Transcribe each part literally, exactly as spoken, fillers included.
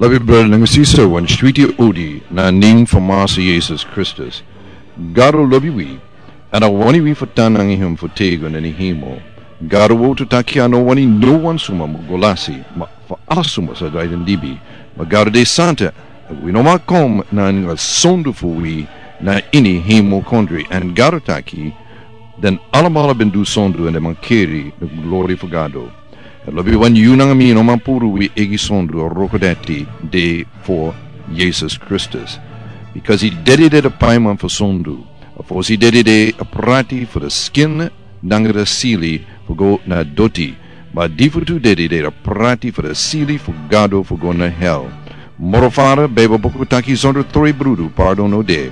Lobi brada nanga sisa, wan switi odi na nen fu Masa Yesus Kristus. Gado lobi wi, èn a wani wi fu tan nanga hem fu tego na ini hemel. Gado wani taki a no wani no wan suma mu go lasi, ma fu ala suma sa drai den libi. Ma Gado de santa, èn wi no man kon nanga sondu fu wi na ini hemel kondre, èn Gado taki, den alamala ben du sondu èn den man keri na glori fu Gado. Èn lobi wan, yu nanga mi no man puru wi eigi sondu wroko dati de fu Yesus Kristus. Bikasi dede de a paiman fu sondu. A fosi dede de a prati fu a skin nanga a sili fu go na doti. Ma di fu tu dede de a prati fu a sili fu Gado fu go na hel. Moro fara, Beibel buku taki sondro troi brudu pardon no de.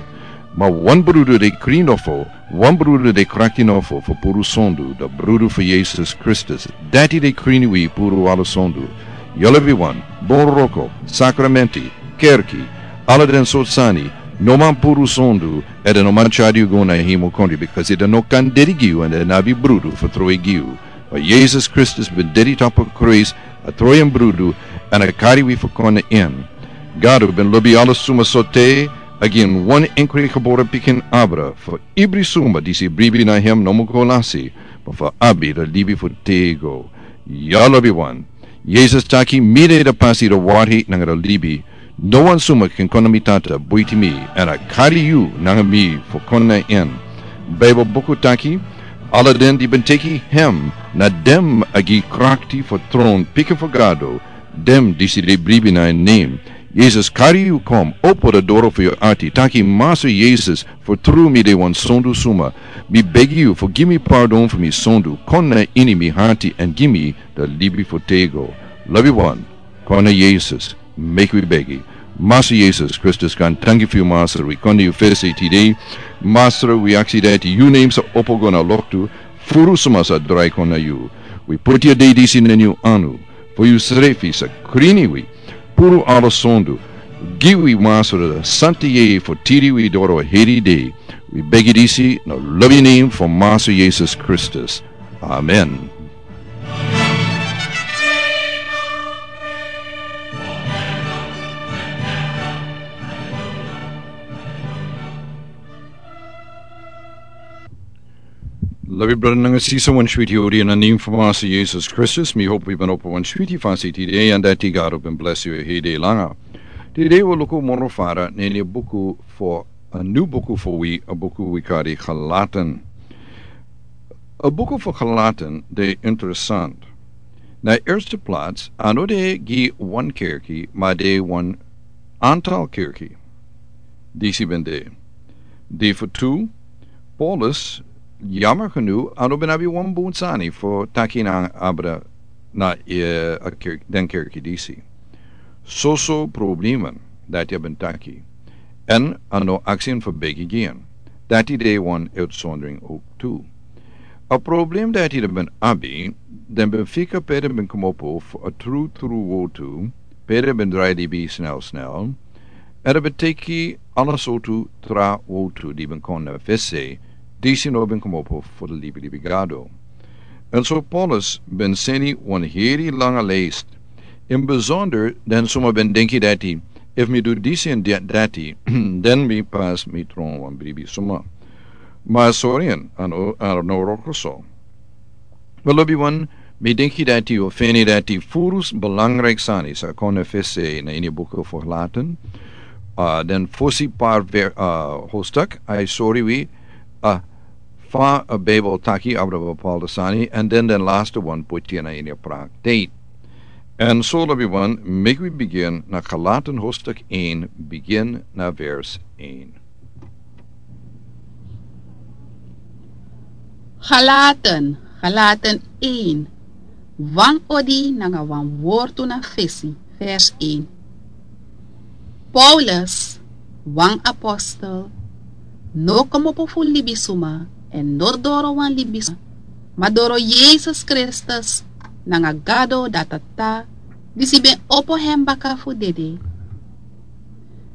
Ma wan brudu de krin nofo, wan brudu de krakti nofo fu puru sondu, a brudu fu Yesus Kristus. Dati de krin wi puru ala sondu. Yu lobi wan, bun wroko, sakramenti, kerki, ala den sortu sani, no man puru sondu, èn den no man tyari yu go na hemel kondre, bikasi den no kan dede gi yu èn den no abi brudu fu troi gi yu. Ma Yesus Kristus ben dede tapu krusu, a troi en brudu, èn a kari wi fu kon na en. Gado ben lobi ala suma so te a gi en wan enkri gebore pikin abra, fu ibri suma disi bribi na hem no mu go lasi, ma fu abi a libi fu tego. Yu lobi wan, Yesus taki, mi de a pasi, a warheid nanga a libi. No wan suma kan kon na mi Tata buiti mi, èn a kari yu nanga mi fu kon na en. Beibel buku taki, ala den di ben teki hem, na den a gi krakti fu tron pikin fu Gado, den disi de bribi na en nen. Yesus kari yu kon, opo a doro fu yu ati, taki, Masa Yesus, fu tru mi de wan sondu suma. Mi begi yu fu gi mi pardon fu mi sondu, kon na ini mi ati èn gi mi a libi fu tego. Lobi wan, kon na Yesus, meki wi begi. Masa Yesus Kristus, wi danki fu yu, Masra, wi kon na yu fesi tide. Masra, wi aksi dati yu nen sa opo go na loktu, furu suma sa drai kon na yu. Wi poti a dei disi na yu anu, fu yu srefi sa krini wi, puru ala sondu. Gi wi, Masra, a santa yeye fu tiri wi doro heri dei. Wi begi disi na lobi nen fu Masa Yesus Kristus. Amen. Lobi brada nanga sisa, wan switi odi na nen fu Masa Yesus Kristus. Mi hopi yu ben opo wan switi fasi tide, èn dati Gado ben blesi yu heri dei langa. Tide wi luku moro fara na ini a buku fu, a nyun buku fu wi, a buku wi kari Galaten. A buku fu Galaten de interesant. Na a erste plats, a no de gi wan kerki, ma de wan antal kerki. Disi ben de. Di fu tu, Paulus, yammer genoeg, a no ben abi wan bun sani fu taki nanga abra na, eh, a kerk-, den kerki disi. Soso problemen dati a ben taki. Èn a no aksi en fu begi gi en. Dati de wan uitzondering ook tu. A problem dati den ben abi, den ben fika pe den ben komopo fu a tru tru wortu, pe den ben drai libi snel snel, èn den ben teki ala sortu tra wortu di ben kon na fesi, disi no ben komopo fu a libi libi Gado. Èn so Paulus ben seni wan heri langa leisi. In besonder, den suma ben denki dati, efu mi du disi èn da-, dati, den mi pasi mi tron wan bribi suma. Ma sori, a no, a no wroko so. Wel, lobi wan, mi denki dati yu o feni dati furu belangrijk sani sa kon na fesi na ini a buku fu Galaten. A, den fosi par ver-, a, hoofdstuk, a e sori wi, a, fa a Bijbel taki abra bepaalde sani, èn den den laatste wan poti na ini a praktijk. Èn so, lobi wan, meki wi begin na Galaten hoofdstuk een, begin na vers een. Galaten, Galaten een, wan odi nanga wan wortu na fesi, vers een. Paulus, wan apostel, no komopo fu libisuma, èn no doro wan libisuma, ma doro Yesus Kristus, nanga Gado da Tata, disi ben opo hem baka fu dede.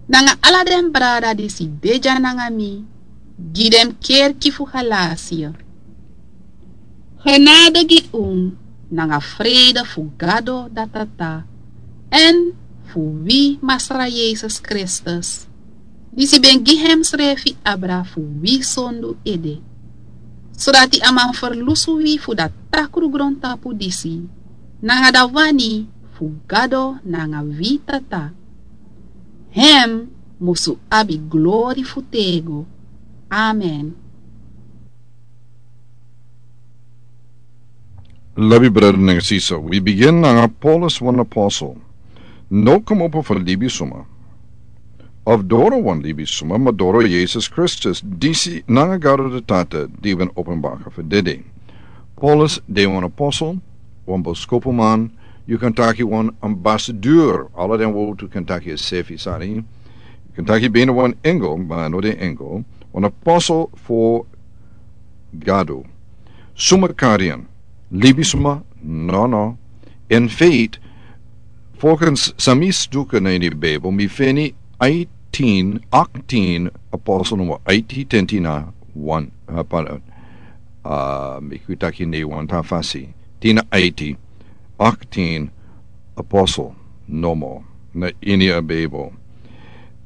Nanga ala den brada disi de dya nanga mi, gi den kerki fu Galatie. Genade gi un, nanga vrede fu Gado da Tata, èn fu wi Masra Yesus Kristus, disi ben gi hemsrefi abra fu wi sondu ede, sodati a man ferlusu wi fu dati takru grontapu disi, nanga dati wani fu Gado nanga wi Tata. Hem musu abi glori fu tego. Amen. Lobi brada nanga sisa, wi bigin nanga Paulus wan apostel. No kmopo fu libisuma, of doro wan libisuma, ma doro Yesus Kristus, disi nanga Gado de Tata, di ben openbaka fu dede. Paulus de wan apostel, wan boskopuman, yu kan taki wan ambasadeur, ala den wowtu kan taki a sefi sani. Yu kan taki bina wan engel, ma no de engel, wan apostel fu Gado. Suma karian, libisuma, no, no. In feite, volgens san mi stuka na ini Bijbel, mi feni eighteen, eighteen apostel nummer eighteen, tenti na wan, uh, pa, uh, mi kwitaki ne wan ta fasi. Tina eighteen, eighteen apostel, no more. Na ini a Bijbel.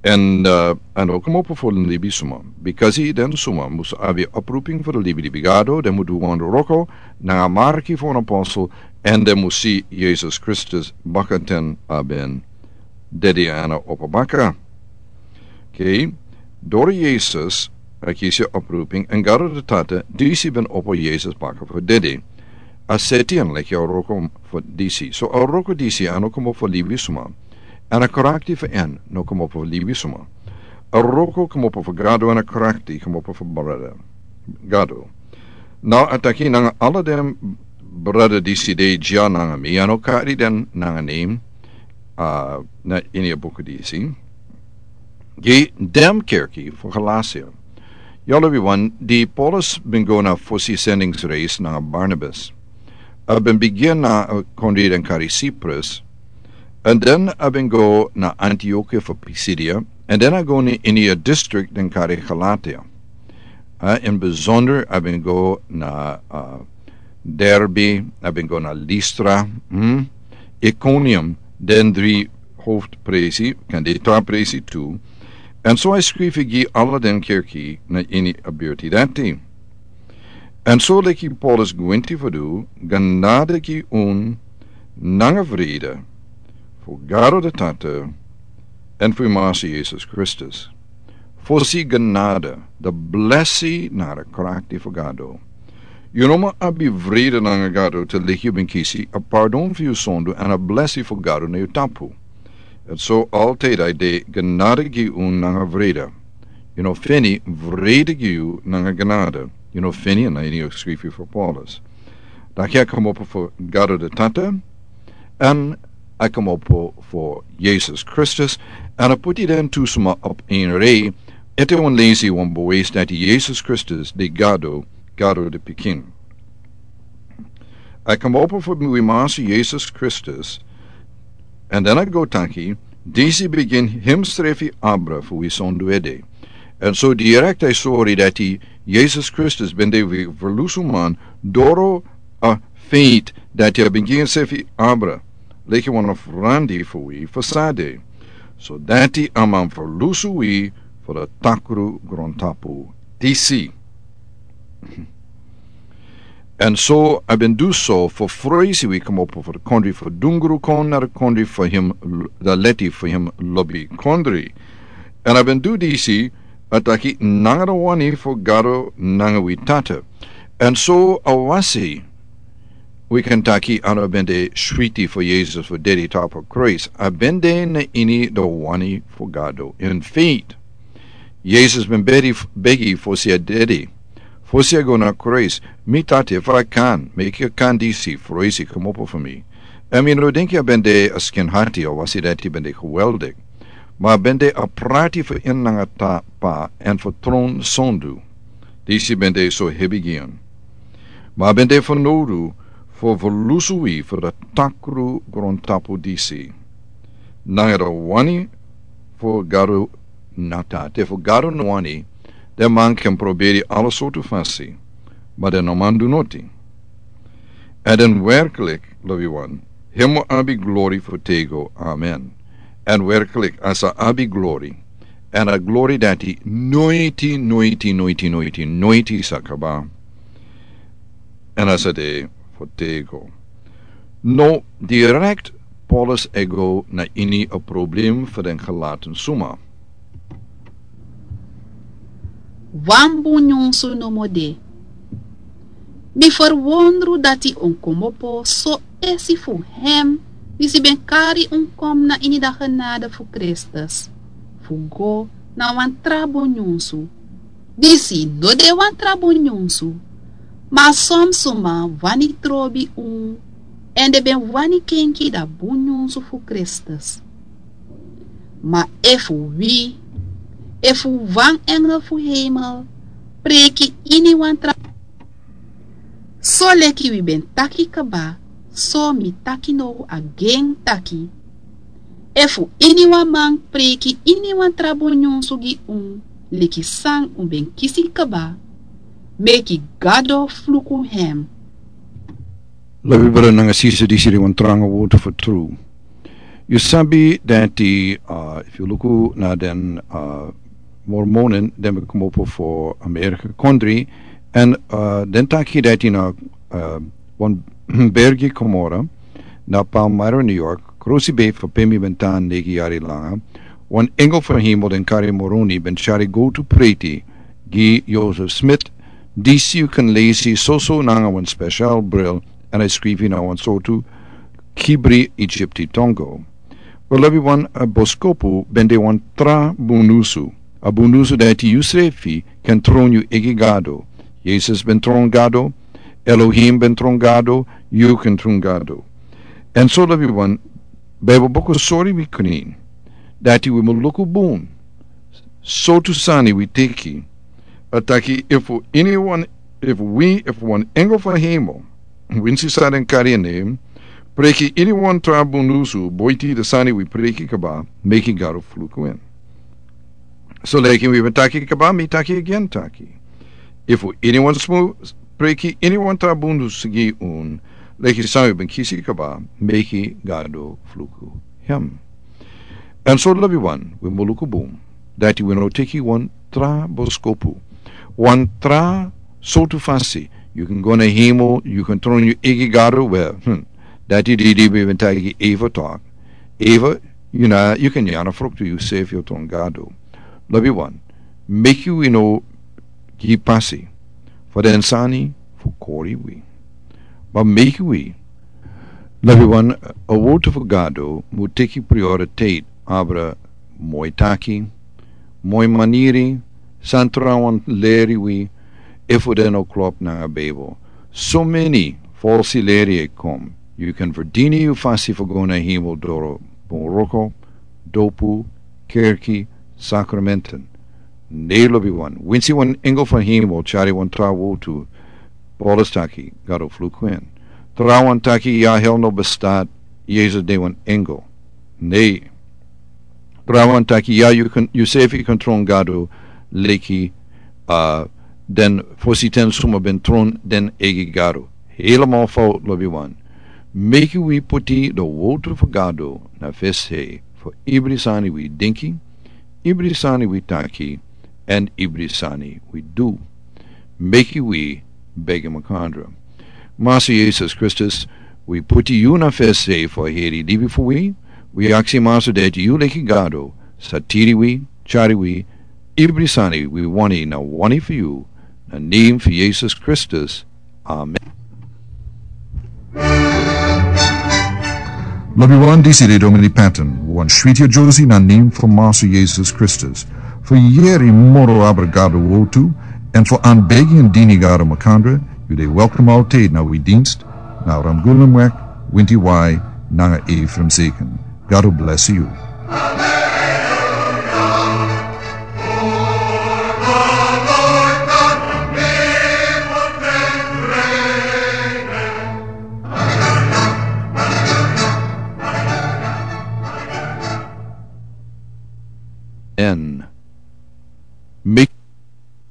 En, uh, en ook mo po fu libisuma. Because den suma mus abi oproeping fu de libi di bigado, den mu du wan roko, na a marki fu wan apostel, en den mu si Jesus Kristus bakaten aben dedi ana opo baka. Okay. Dori Jesus, aki si oproeping, en Gado de Tata, disi ben opo Jesus baka fu dedi. A seti en leki a roko fu disi. So a roko disi, a no komo fu libisuma. Ana karakti fu en, no komo fu libisuma. A roko komo fu Gado ana karakti, komo fu brada. Gado. Now, a taki nanga ala den brada disi de dya nanga mi, a no kari den nanga name, uh, na ini a buku disi. Gi den kerki fu Galatia. Yolo wi wan, di Paulus ben go na fosi sendingsreis nanga Barnabas. A ben bigin na, uh, kondri den kari Cyprus, en den a ben go na Antiochia fu Pisidia, en den a go ni ini a district den kari Galatia. Uh, in bijzonder a ben go na, uh, Derbe, a ben go na Lystra, hmm? Iconium, den dri hoofdpresi, kan de tra presi tu. En so a skrifi gi ala den kerki na ini a birti dati. En so leki Paulus gwenti fu du, genade gi un nanga vrede fu Gado de Tata en fu Masi Jesus Kristus. Fosi genade, de blesi na de krakti fu Gado. Yu no mu abi vrede nanga Gado te leki yu ben kisi a pardon fu yu sondu en a blesi fu Gado na yu tapu. En so altijd a de genade gi un nanga vrede. Yu no feni vrede gi yu nanga genade. Yu no feni na ini a skrifi fu Paulus. Dan a komopo fu Gado de Tata, en a komopo fu Jesus Kristus, en a puti den tu suma op een rij, ete wan lesi wan bewijs dati Jesus Kristus de Gado, Gado de Pikin. A komopo fu wi Masi Jesus Kristus, en dan a go taki, disi bigin hemsrefi abra fu wi sondu ede. En so direct a sori dati Jesus Kristus ben de wi verlusu man doro a feit dati a bigin sefi abra, leki wan ofrandi fu wi fu sade. So dati a man verlusu wi fu de takru grontapu disi. En so a ben du so fu froisi wi komopo fu de kondri fu dungru kon na de kondri fu him, de leti fu him lobi kondri. En a ben du disi, a taki nanga de wani fu Gado nanga wi Tata. En so a wasi, wi kan taki a no ben de switi fu Jesus fu dedi tapu Christ. A ben de na ini de wani fu Gado. In feite, Jesus ben begi, begi fosi a dedi. Fosi a go na Christ, mi Tata, efu a kan, meki a kan disi froisi komopo fu mi. En mi no denki a ben de a skin hati a wasi dati ben de geweldig. Ma a ben de a prati fu en nanga Tata en fu tron sondu. Disi ben de so hebi gi en. Ma a ben de fernodu fu verlusu wi fu de takru grontapu disi. Nanga de wani fu Gado na Tata. Te fu Gado no wani, den man kan proberi ala sortu fasi, ma den no man du noti. En dan werkelijk, lobi wan, hem mu abi glori fu tego. Amen. Èn werklik a sa abi glori, èn a glori dati noiti noiti noiti noiti noiti sa kaba. Èn a sa de fu tego. No, direkt Paulus e go na ini a problem fu den gelaten suma. Wan bun nyunsu nomo de. Mi ferwondru dati un kmopo so esi fu hem, disi ben kari un kon na ini a genade fu Kristus, fu go na wan tra bun nyunsu. Disi no de wan tra bun nyunsu. Ma son suma wani trobi un, èn den ben wani kenki a bun nyunsu fu Kristus. Ma efu wi, efu wan engel fu hemel, preki iniwan tra, so leki wi ben taki kaba, so mi taki now agen taki. Efu iniwan man preki iniwan tra bun nyunsu gi un, leki san un ben kisi kaba, meki Gado fluku hem. Lobi brada nanga sisa, disi de wan tranga wortu fu tru. Yu sabi dati, uh, efu yu luku na den, uh, Mormonen, den ben kmopo fu Amerika kondri, èn, uh, den taki dati na, uh, wan bergi Cumorah, na Palmyra, New York, krosi bei fu pe mi ben tan negi yari langa, wan engel fu hemel den kari Moroni ben tyari go tu preti gi Joseph Smith, disi yu kan lesi soso nanga wan spesial bril, èn a skrifi na wan sortu Kibri Egypti tongo. Wel, lobi wan, a boskopu ben de wan tra bun nyunsu. A bun nyunsu dati yusrefi kan tron yu eigi Gado. Yesus ben tron Gado, Elohim ben tron Gado, yu kan tron Gado. Èn so, lobi wan, Bijbel buku sori wi krin dati wi mu luku bun sortu sani wi teki. A taki efu iniwan, efu wi, efu wan engel fu hemel, winsi san den kari en nen, preki iniwan tra bun nyunsu boiti den sani wi preki kaba, meki Gado fluku en. So leki wi ben taki kaba, mi taki agen taki. Efu iniwan smu preki iniwan tra bun nyunsu gi un, leki san wi ben kisi kaba, meki Gado fluku hem. Èn so, lobi wan, wi mu luku bun dati wi no teki wan tra boskopu, wan tra sortu fasi. Yu kan go na hemel, yu kan tron yu eigi Gado, wel, hmm, dati didi ben taki Eva taki. Eva, yu na, yu kan nyan a fruktu yusrefi, yu tron Gado. Lobi wan, meki wi no gi pasi fu den sani fu kori wi. Ma meki wi, lobi wan, a wortu fu Gado mu teki prioriteit abra moi taki, moi maniri, san trawan leri wi, efu den no klop nanga Bijbel. So meni falsi leri e kon. Yu kan ferdini yu fasi fu go na hemel doro bun wroko, dopu, kerki, sakramenten. Ne, lobi wan, winsi wan engel fu hemel tyari wan tra wortu, Paulus taki Gado fluku en. Trawan taki ya hel no bestat, Yesus de wan engel. Ne. Trawan taki ya yu kan, yusrefi kan tron Gado, leki, uh, den fositen suma ben tron den eigi Gado. Helemaal fout, lobi wan. Meki wi puti a wortu fu Gado na fesi fu ibri sani wi denki, ibri sani wi taki, èn ibri sani wi du. Meki wi begi makandra. Master Yesus Kristus, wi puti yu na fesi fu heri libi fu wi. Wi aksi, Master, dati yu leki Gado sa tiri wi, tyari wi, ibri sani wi wani na wani fu yu, na nen fu Yesus Kristus. Amen. Lobi wan, disi de Domini Patton, wan switi a Josi na nen fu Master Yesus Kristus. Fu yeri moro abra Gado wortu, èn fu anbegi èn dini Gado makandra, yu de welkom altijd na wi dienst, na Ramguna Mwek, Winti Wai, nanga Ephraim Seken. Gado blesi yu. En meki